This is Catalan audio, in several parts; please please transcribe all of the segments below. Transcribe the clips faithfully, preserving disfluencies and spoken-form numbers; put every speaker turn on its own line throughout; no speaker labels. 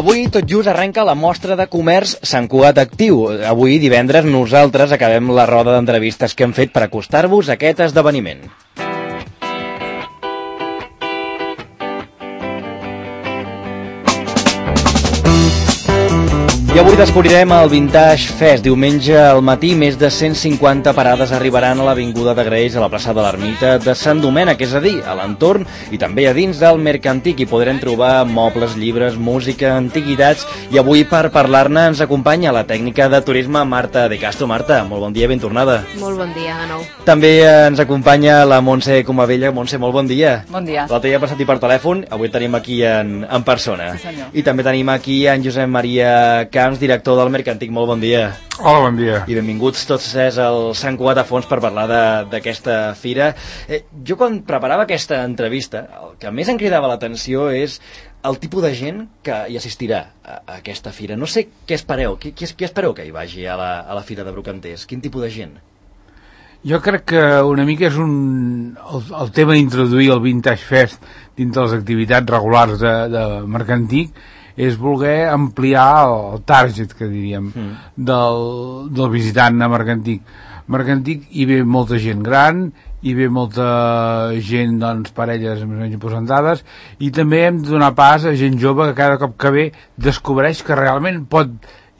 Avui tot just arrenca la mostra de comerç Sant Cugat Actiu. Avui, divendres, nosaltres acabem la roda d'entrevistes que hem fet per acostar-vos a aquest esdeveniment. I avui descobrirem el Vintage Fest. Diumenge al matí, més de cent cinquanta parades arribaran a l'Avinguda de Graells, a la plaça de l'Ermita de Sant Domènec, és a dir, a l'entorn i també a dins del Mercantic. Hi podrem trobar mobles, llibres, música, antiguitats. I avui, per parlar-ne, ens acompanya la tècnica de turisme Marta de Castro. Marta, molt bon dia, ben tornada.
Molt bon dia, de nou.
També ens acompanya la Montse Comavella. Montse, molt bon dia.
Bon dia.
L'altre dia he passat-hi per telèfon, avui tenim aquí en, en persona.
Sí, senyor.
I també tenim aquí en Josep Maria Camps, director del Mercantic. Molt bon dia.
Hola, bon dia.
I benvinguts tots tres al Sant Cugat a fons per parlar d'aquesta fira. Eh, jo quan preparava aquesta entrevista, el que més em cridava l'atenció és el tipus de gent que hi assistirà a, a aquesta fira. No sé què espereu, qui, qui, qui espereu que hi vagi a la, a la fira de Brocanters? Quin tipus de gent?
Jo crec que una mica és un, el, el tema d'introduir el Vintage Fest dins de les activitats regulars de, de Mercantic és voler ampliar el target, que diríem, mm. del, del visitant a Mercantic. Mercantic hi ve molta gent gran, hi ve molta gent, doncs, parelles més o menys posantades, i també hem de donar pas a gent jove que cada cop que ve descobreix que realment pot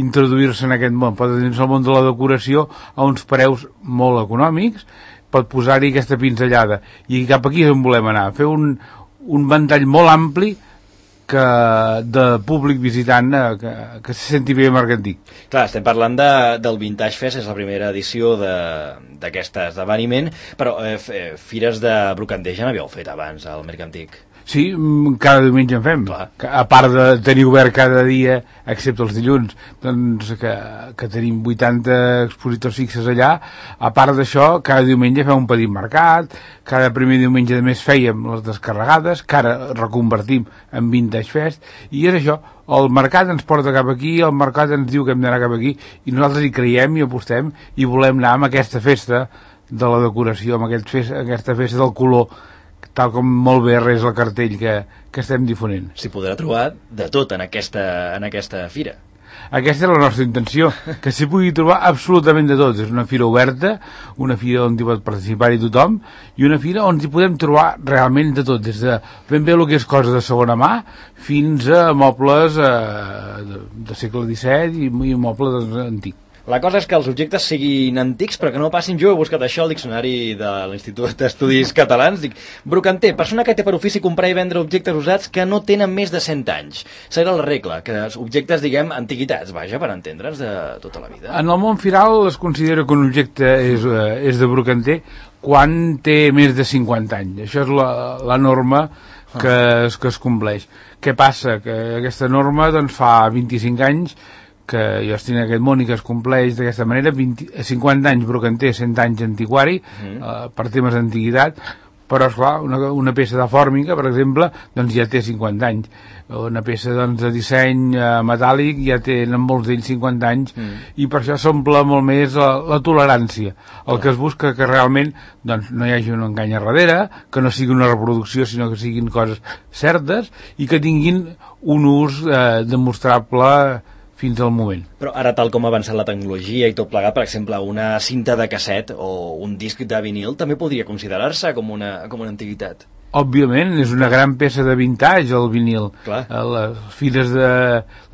introduir-se en aquest món, pot dins el món de la decoració a uns preus molt econòmics, pot posar-hi aquesta pinzellada. I cap aquí és on volem anar, fer un, un ventall molt ampli que de públic visitant eh, que, que se senti bé Mercantic.
Clar, estem parlant de, del Vintage Fest, és la primera edició d'aquest esdeveniment, però eh, fires de Brocanters ja n'havíeu fet abans al Mercantic.
Sí, cada diumenge en fem. Clar. A part de tenir obert cada dia, excepte els dilluns, doncs que, que tenim vuitanta expositors fixes allà, a part d'això, cada diumenge fem un petit mercat, cada primer diumenge de mes fèiem les descarregades, que ara reconvertim en Vintage Fest, i és això, el mercat ens porta cap aquí, el mercat ens diu que hem d'anar cap aquí, i nosaltres hi creiem i apostem, i volem anar amb aquesta festa de la decoració, amb aquest fest, aquesta festa del color, tal com molt bé res el cartell que, que estem difonent.
S'hi podrà trobar de tot en aquesta, en aquesta fira.
Aquesta és la nostra intenció, que s'hi pugui trobar absolutament de tot. És una fira oberta, una fira on hi pot participar-hi tothom, i una fira on hi podem trobar realment de tot, des de ben bé el que és cosa de segona mà, fins a mobles eh, de, de segle disset i, i mobles antics.
La cosa és que els objectes siguin antics, però que no passin. Jo he buscat això al diccionari de l'Institut d'Estudis Catalans. Dic, brocanter, persona que té per ofici comprar i vendre objectes usats que no tenen més de cent anys. Serà la regla, que els objectes, diguem, antiguitats, vaja, per entendre'ns de tota la vida.
En el món firal es considera que un objecte és, eh, és de brocanter quan té més de cinquanta anys. Això és la, la norma que, ah. es, que es compleix. Què passa? Que aquesta norma doncs, fa vint-i-cinc anys que jo estic en aquest món i que es compleix d'aquesta manera, vint, cinquanta anys brocanter, cent anys antiquari, mm. eh, per temes d'antiguitat, però, esclar, una, una peça de fòrmica, per exemple, doncs ja té cinquanta anys. Una peça doncs, de disseny eh, metàl·lic ja tenen molts d'ells cinquanta anys, mm. i per això s'omple molt més la, la tolerància. El mm. que es busca que realment doncs, no hi hagi un engany a darrere, que no sigui una reproducció, sinó que siguin coses certes, i que tinguin un ús eh, demostrable fins al moment.
Però ara, tal com ha avançat la tecnologia i tot plegat, per exemple, una cinta de casset o un disc de vinil també podria considerar-se com una, com una antiguitat.
Òbviament, és una gran peça de vintage, el vinil.
Clar.
Les fires de,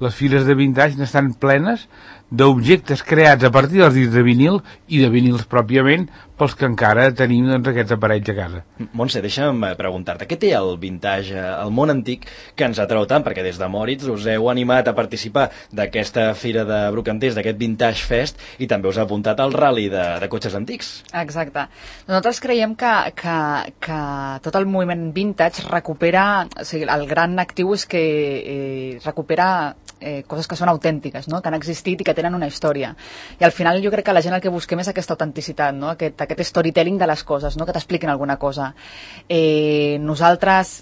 les fires de vintage n'estan plenes d'objectes creats a partir dels discs de vinil i de vinils pròpiament pels que encara tenim doncs, aquests aparells a casa.
Montse, deixa'm preguntar-te, què té el vintage, el món antic, que ens atrau tant? Perquè des de Moritz us heu animat a participar d'aquesta fira de Brocanters, d'aquest Vintage Fest, i també us ha apuntat al rally de, de cotxes antics.
Exacte. Nosaltres creiem que, que, que tot el moviment vintage recupera, o sigui, el gran actiu és que eh, recupera eh, coses que són autèntiques, no? Que han existit i que tenen una història. I al final jo crec que la gent el que busquem és aquesta autenticitat, no? Aquest, aquest storytelling de les coses, no? Que t'expliquin alguna cosa. Eh, nosaltres,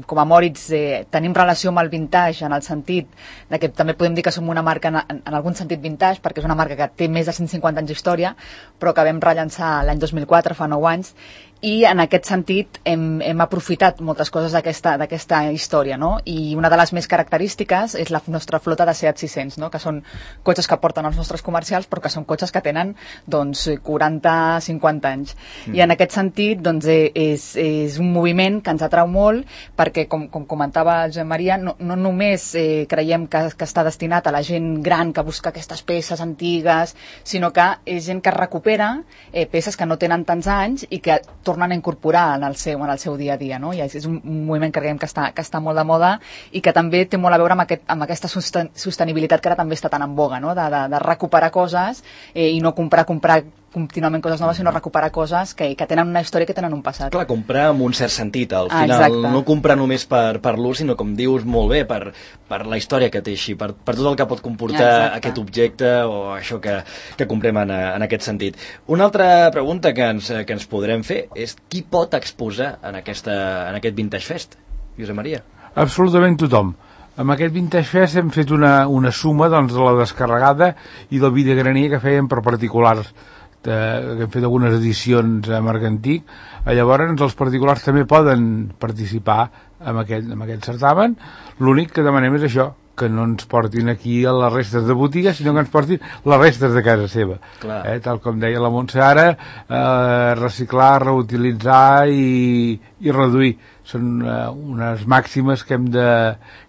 com a Moritz, eh, tenim relació amb el vintage en el sentit de que també podem dir que som una marca en, en, en algun sentit vintage, perquè és una marca que té més de cent cinquanta anys d'història, però que vam rellançar l'any dos mil quatre, fa nou anys, i en aquest sentit hem, hem aprofitat moltes coses d'aquesta d'aquesta història, no? I una de les més característiques és la nostra flota de Seat sis-cents, no? Que són cotxes que porten els nostres comercials, però que són cotxes que tenen doncs, quaranta a cinquanta anys. Mm. I en aquest sentit doncs, és, és un moviment que ens atrau molt perquè, com, com comentava Josep Maria, no, no només eh, creiem que, que està destinat a la gent gran que busca aquestes peces antigues, sinó que és gent que recupera eh, peces que no tenen tants anys i que tornen a incorporar en el seu, en el seu dia a dia, no? I és un moviment que creiem que està, que està molt de moda i que també té molt a veure amb, aquest, amb aquesta sosten sostenibilitat que ara també està tan en boga, no? de, de, de recuperar coses eh, i no comprar, comprar contínuament coses noves, sinó recuperar coses que, que tenen una història, que tenen un passat.
Clar, comprar amb un cert sentit, al final,
Exacte.
No comprar només per, per l'ús, sinó, com dius molt bé, per, per la història que té així, per, per tot el que pot comportar Exacte. Aquest objecte o això que, que comprem en, en aquest sentit. Una altra pregunta que ens, que ens podrem fer és qui pot exposar en, aquesta, en aquest Vintage Fest? Josep Maria.
Absolutament tothom. Amb aquest Vintage Fest hem fet una, una suma doncs, de la descarregada i del videograner que fèiem per particulars, de, que hem fet algunes edicions a Marc Antic. Llavors els particulars també poden participar en aquest, en aquest certamen. L'únic que demanem és això, que no ens portin aquí a les restes de botiga, sinó que ens portin les restes de casa seva. Eh, tal com deia la Montse ara, eh, reciclar, reutilitzar i, i reduir. Són eh, unes màximes que hem de,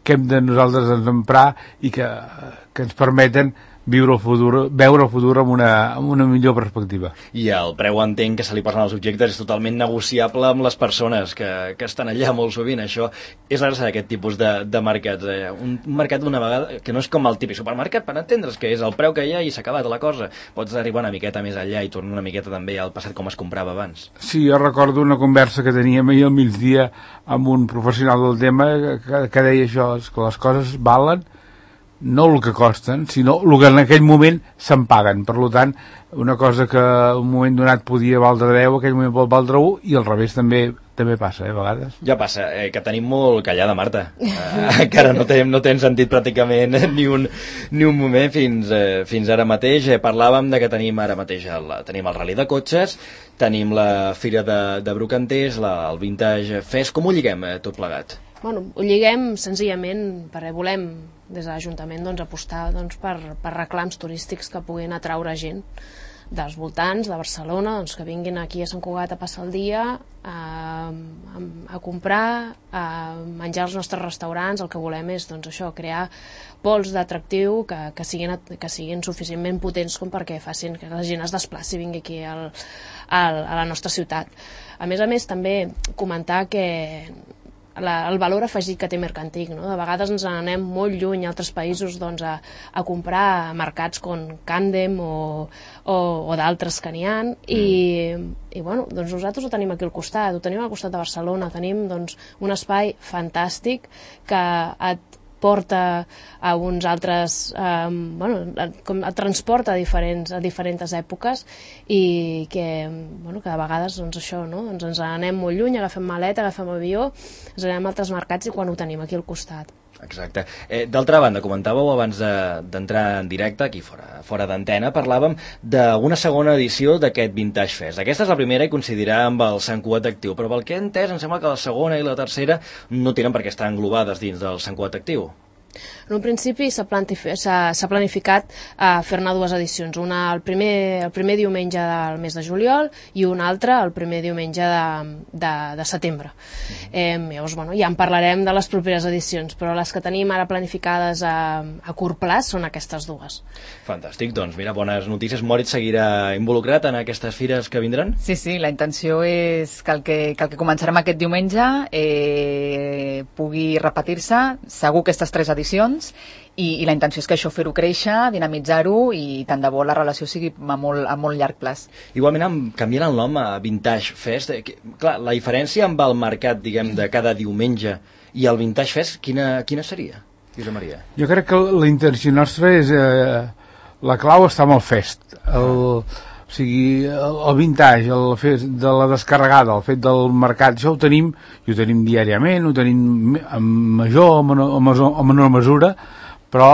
que hem de nosaltres ens emprar i que, que ens permeten viure el futur, veure el futur amb una, amb una millor perspectiva.
I el preu, entenc, que se li posen als objectes és totalment negociable amb les persones que, que estan allà molt sovint. Això és la gràcia d'aquest tipus de, de mercats. Eh? Un, un mercat d'una vegada que no és com el típic supermercat, per entendre's, que és el preu que hi ha i s'ha acabat la cosa. Pots arribar una miqueta més allà i tornar una miqueta també al passat com es comprava abans.
Sí, jo recordo una conversa que teníem ahir al migdia amb un professional del tema que, que deia això, que les coses valen no el que costen, sinó el que en aquell moment se'n paguen. Per tant, una cosa que en un moment donat podia valdre deu, aquell moment pot valdre u, i al revés també també passa, eh, a vegades.
Ja passa, eh, que tenim molt callada, Marta. Eh, encara no t'hem no sentit pràcticament ni un, ni un moment fins, eh, fins ara mateix. Eh, parlàvem de que tenim ara mateix el, tenim el Rally de Cotxes, tenim la Fira de, de Brocanters, la, el Vintage Fest. Com ho lliguem eh, tot plegat?
Bueno, ho lliguem senzillament perquè volem des de l'Ajuntament doncs, apostar doncs, per, per reclams turístics que puguin atraure gent dels voltants de Barcelona, doncs, que vinguin aquí a Sant Cugat a passar el dia, a, a, a comprar, a menjar als nostres restaurants. El que volem és doncs, això, crear pols d'atractiu que, que, siguin, que siguin suficientment potents com perquè facin que la gent es desplaci i vingui aquí al, al, a la nostra ciutat. A més a més, també comentar que La, el valor afegit que té Mercantic, no? De vegades ens anem molt lluny a altres països doncs, a, a comprar a mercats com Candem o, o, o d'altres que n'hi ha mm. i, i bueno, doncs nosaltres ho tenim aquí al costat, ho tenim al costat de Barcelona, tenim doncs, un espai fantàstic que et porta a uns altres, eh, bueno, com et transporta a diferents, a diferents èpoques i que, bueno, que de vegades doncs això, no? Doncs ens anem molt lluny, agafem maleta, agafem avió, ens anem a altres mercats i quan ho tenim aquí al costat.
Exacte. Eh, D'altra banda, comentàveu abans d'entrar de, en directe, aquí fora, fora d'antena, parlàvem d'una segona edició d'aquest Vintage Fest. Aquesta és la primera i coincidirà amb el Sant Cugat Actiu, però pel que he entès, em sembla que la segona i la tercera no tenen per què estar englobades dins del Sant Cugat Actiu.
En un principi s'ha planificat uh, fer-ne dues edicions, una el primer, el primer diumenge del mes de juliol i una altra el primer diumenge de, de, de setembre. Eh, llavors, bueno, ja en parlarem de les properes edicions, però les que tenim ara planificades a, a curt plaç són aquestes dues.
Fantàstic, doncs mira, bones notícies. Moritz seguirà involucrat en aquestes fires que vindran?
Sí, sí, la intenció és que el que, que, el que començarem aquest diumenge eh, pugui repetir-se, segur aquestes tres edicions, I, i la intenció és que això fer-ho créixer, dinamitzar-ho i tant de bo la relació sigui a molt, a molt llarg plaç.
Igualment, canviant el nom a Vintage Fest, eh, que, clar, la diferència amb el mercat, diguem, de cada diumenge i el Vintage Fest, quina, quina seria, Josep Maria?
Jo crec que la intenció nostra és... Eh, la clau està amb el fest. El, o sigui, el, el vintage, el fet de la descarregada, el fet del mercat, això ho tenim, i ho tenim diàriament, ho tenim en major o menor, o menor mesura, però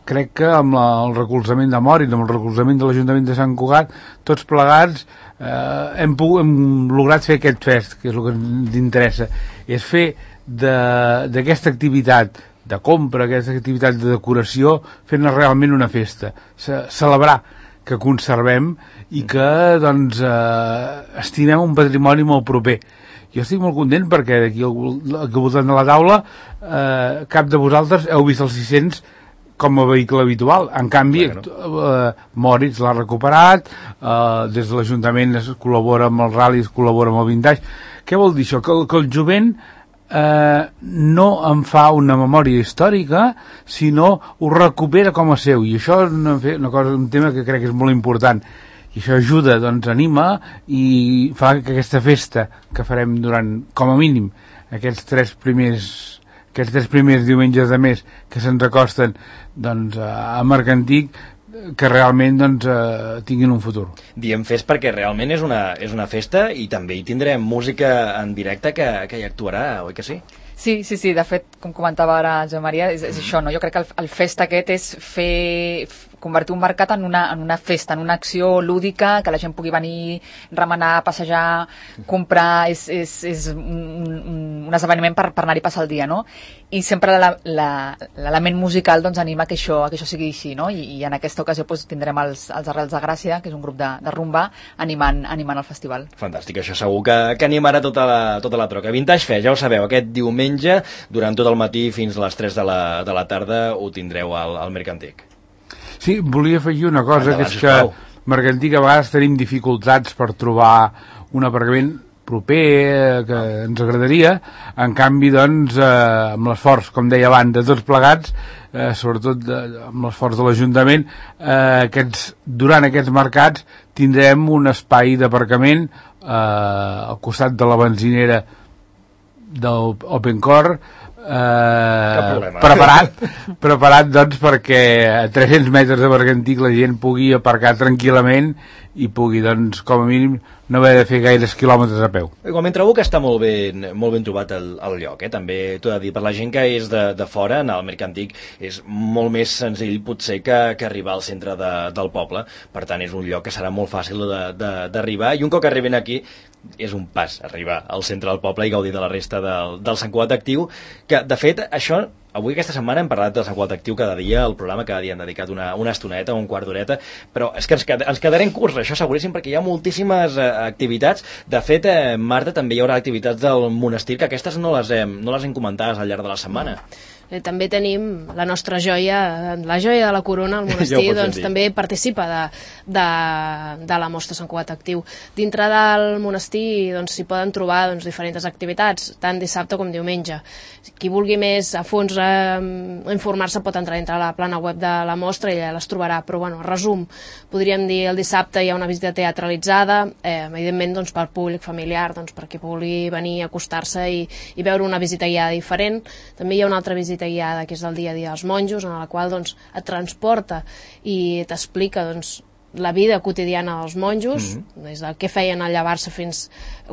crec que amb la, el recolzament de Moritz, amb el recolzament de l'Ajuntament de Sant Cugat, tots plegats eh, hem, pogut, hem lograt fer aquest fest, que és el que ens interessa, és fer d'aquesta de, activitat de compra, aquesta activitat de decoració, fent-ne realment una festa, Ce celebrar que conservem i que doncs, eh, estimem un patrimoni molt proper. Jo estic molt content perquè d'aquí al, al voltant de la taula eh, cap de vosaltres heu vist els sis-cents com a vehicle habitual. En canvi, eh, Moritz l'ha recuperat, eh, des de l'Ajuntament es col·labora amb el Rally, es col·labora amb el Vintage. Què vol dir això? Que, que el jovent eh, no en fa una memòria històrica, sinó ho recupera com a seu. I això és una, una cosa, un tema que crec que és molt important. I això ajuda, doncs anima i fa que aquesta festa que farem durant, com a mínim, aquests tres primers, aquests tres primers diumenges de mes que se'ns acosten doncs, a Mercantic, que realment doncs, eh, tinguin un futur.
Diem fest perquè realment és una, és una festa i també hi tindrem música en directe que, que hi actuarà, oi que sí?
Sí, sí, sí, de fet, com comentava ara Joan Maria, és, és això, no? Jo crec que el, el fest aquest és fer, convertir un mercat en una, en una festa, en una acció lúdica, que la gent pugui venir, remenar, passejar, comprar, és, és, és un, un, un esdeveniment per, per anar-hi a passar el dia, no? I sempre l'element musical doncs, anima que això, que això sigui així, no? I, i en aquesta ocasió doncs, tindrem els, els Arrels de Gràcia, que és un grup de, de rumba, animant, animant el festival.
Fantàstic, això segur que, que animarà tota la, tota la troca. Vintage Fest, ja ho sabeu, aquest diumenge, durant tot el matí fins a les tres de la, de la tarda, ho tindreu al, al Mercantic.
Sí, volia afegir una cosa,
Endavant,
que és que Mercantic a vegades tenim dificultats per trobar un aparcament proper, que ens agradaria. En canvi, doncs, eh, amb l'esforç, com deia abans, de tots plegats, eh, sobretot de, amb l'esforç de l'Ajuntament, eh, aquests, durant aquests mercats tindrem un espai d'aparcament eh, al costat de la benzinera del OpenCore, eh, preparat, preparat doncs perquè a tres-cents metres de Mercantic la gent pugui aparcar tranquil·lament i pugui, doncs, com a mínim no haver de fer gaires quilòmetres a peu.
Igualment trobo que està molt ben, molt ben trobat el, el lloc, eh? També t'ho he de dir, per la gent que és de, de fora, anar al Mercantic és molt més senzill potser que, que arribar al centre de, del poble, per tant és un lloc que serà molt fàcil d'arribar, i un cop que arriben aquí és un pas arribar al centre del poble i gaudir de la resta del, del Sant Cugat Actiu, que de fet això, avui aquesta setmana hem parlat del Sant Cugat Actiu cada dia, el programa cada dia hem dedicat una, una estoneta, un quart d'horeta, però és que ens, qued, ens quedarem curts, això seguríssim, perquè hi ha moltíssimes eh, activitats. De fet, eh, Marta, també hi haurà activitats del monestir, que aquestes no les hem, no les hem comentades al llarg de la setmana.
Eh, també tenim la nostra joia, la joia de la corona, el monestir, ja doncs també participa de, de, de la mostra Sant Cugat Actiu. Dintre del monestir doncs, s'hi poden trobar doncs, diferents activitats, tant dissabte com diumenge. Qui vulgui més a fons eh, informar-se pot entrar dintre la plana web de la mostra i ja les trobarà, però bueno, resum, podríem dir el dissabte hi ha una visita teatralitzada, eh, evidentment doncs, pel públic familiar, doncs, perquè pugui venir a acostar-se i, i veure una visita guiada diferent. També hi ha una altra visita guiada que és el dia a dia dels monjos, en la qual doncs, et transporta i t'explica doncs, la vida quotidiana dels monjos, mm-hmm. des del que feien al llevar-se fins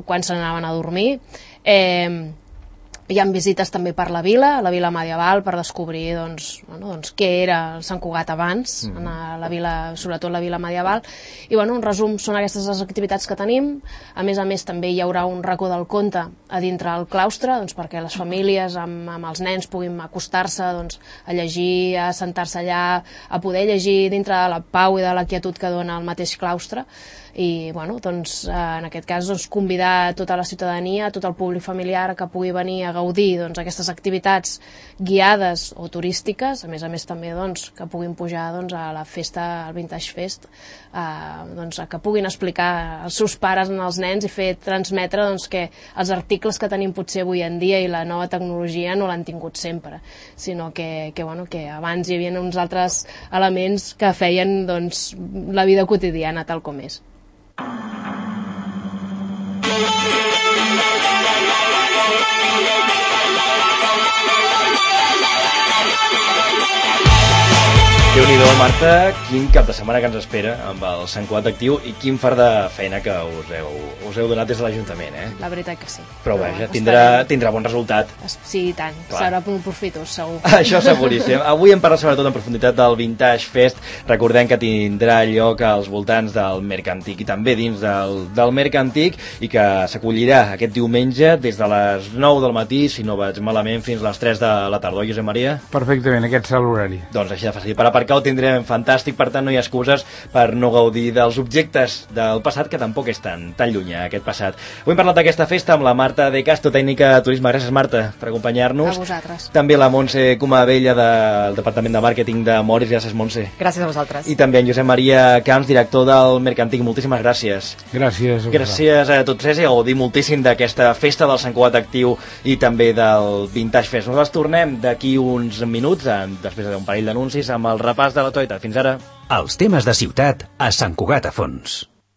quan se n'anaven a dormir. Eh, hi ha visites també per la vila, la vila medieval, per descobrir doncs, bueno, doncs, què era el Sant Cugat abans, mm. en la vila, sobretot la vila medieval. I bueno, en resum, són aquestes les activitats que tenim. A més a més, també hi haurà un racó del conte a dintre del claustre, doncs, perquè les famílies amb, amb els nens puguin acostar-se doncs, a llegir, a sentar-se allà, a poder llegir dintre de la pau i de la quietud que dona el mateix claustre. I bueno, doncs, en aquest cas doncs, convidar tota la ciutadania, tot el públic familiar que pugui venir a gaudir doncs, aquestes activitats guiades o turístiques, a més a més també doncs, que puguin pujar doncs, a la festa, al Vintage Fest, eh, doncs, que puguin explicar als seus pares als nens i fer transmetre doncs, que els articles que tenim potser avui en dia i la nova tecnologia no l'han tingut sempre, sinó que, que, bueno, que abans hi havia uns altres elements que feien doncs, la vida quotidiana tal com és.
Déu-n'hi-do, Marta, quin cap de setmana que ens espera amb el Sant Cugat actiu i quin fart de feina que us heu, us heu donat des de l'Ajuntament, eh?
La veritat que sí.
Però vaja, tindrà, tindrà bon resultat.
Sí, i tant.
Clar.
Serà molt profitós, segur.
Això seguríssim. Avui hem parlat sobretot en profunditat del Vintage Fest. Recordem que tindrà lloc als voltants del Mercantic i també dins del, del Mercantic i que s'acollirà aquest diumenge des de les nou del matí, si no vaig malament, fins a les tres de la tarda, oi, Josep Maria?
Perfectament, aquest serà l'horari.
Doncs així de fàcil. Per aparcar ho tindrem fantàstic, per tant no hi ha excuses per no gaudir dels objectes del passat, que tampoc és tan, tan llunyà aquest passat. Avui hem parlat d'aquesta festa amb la Marta de Castro, tècnica de turisme. Gràcies, Marta, per acompanyar-nos.
A vosaltres.
També la Montse Comabella del Departament de Màrqueting de Moris. Gràcies, Montse.
Gràcies a vosaltres.
I també en Josep Maria Camps, director del Mercantic. Moltíssimes gràcies.
Gràcies.
Gràcies a tots tres i a gaudir moltíssim d'aquesta festa del Sant Cugat actiu i també del Vintage Fest. Nosaltres tornem d'aquí uns minuts, després d'un parell d'anuncis, amb el repàs de l'actualitat. Fins ara.
Els temes de ciutat a Sant Cugat a fons.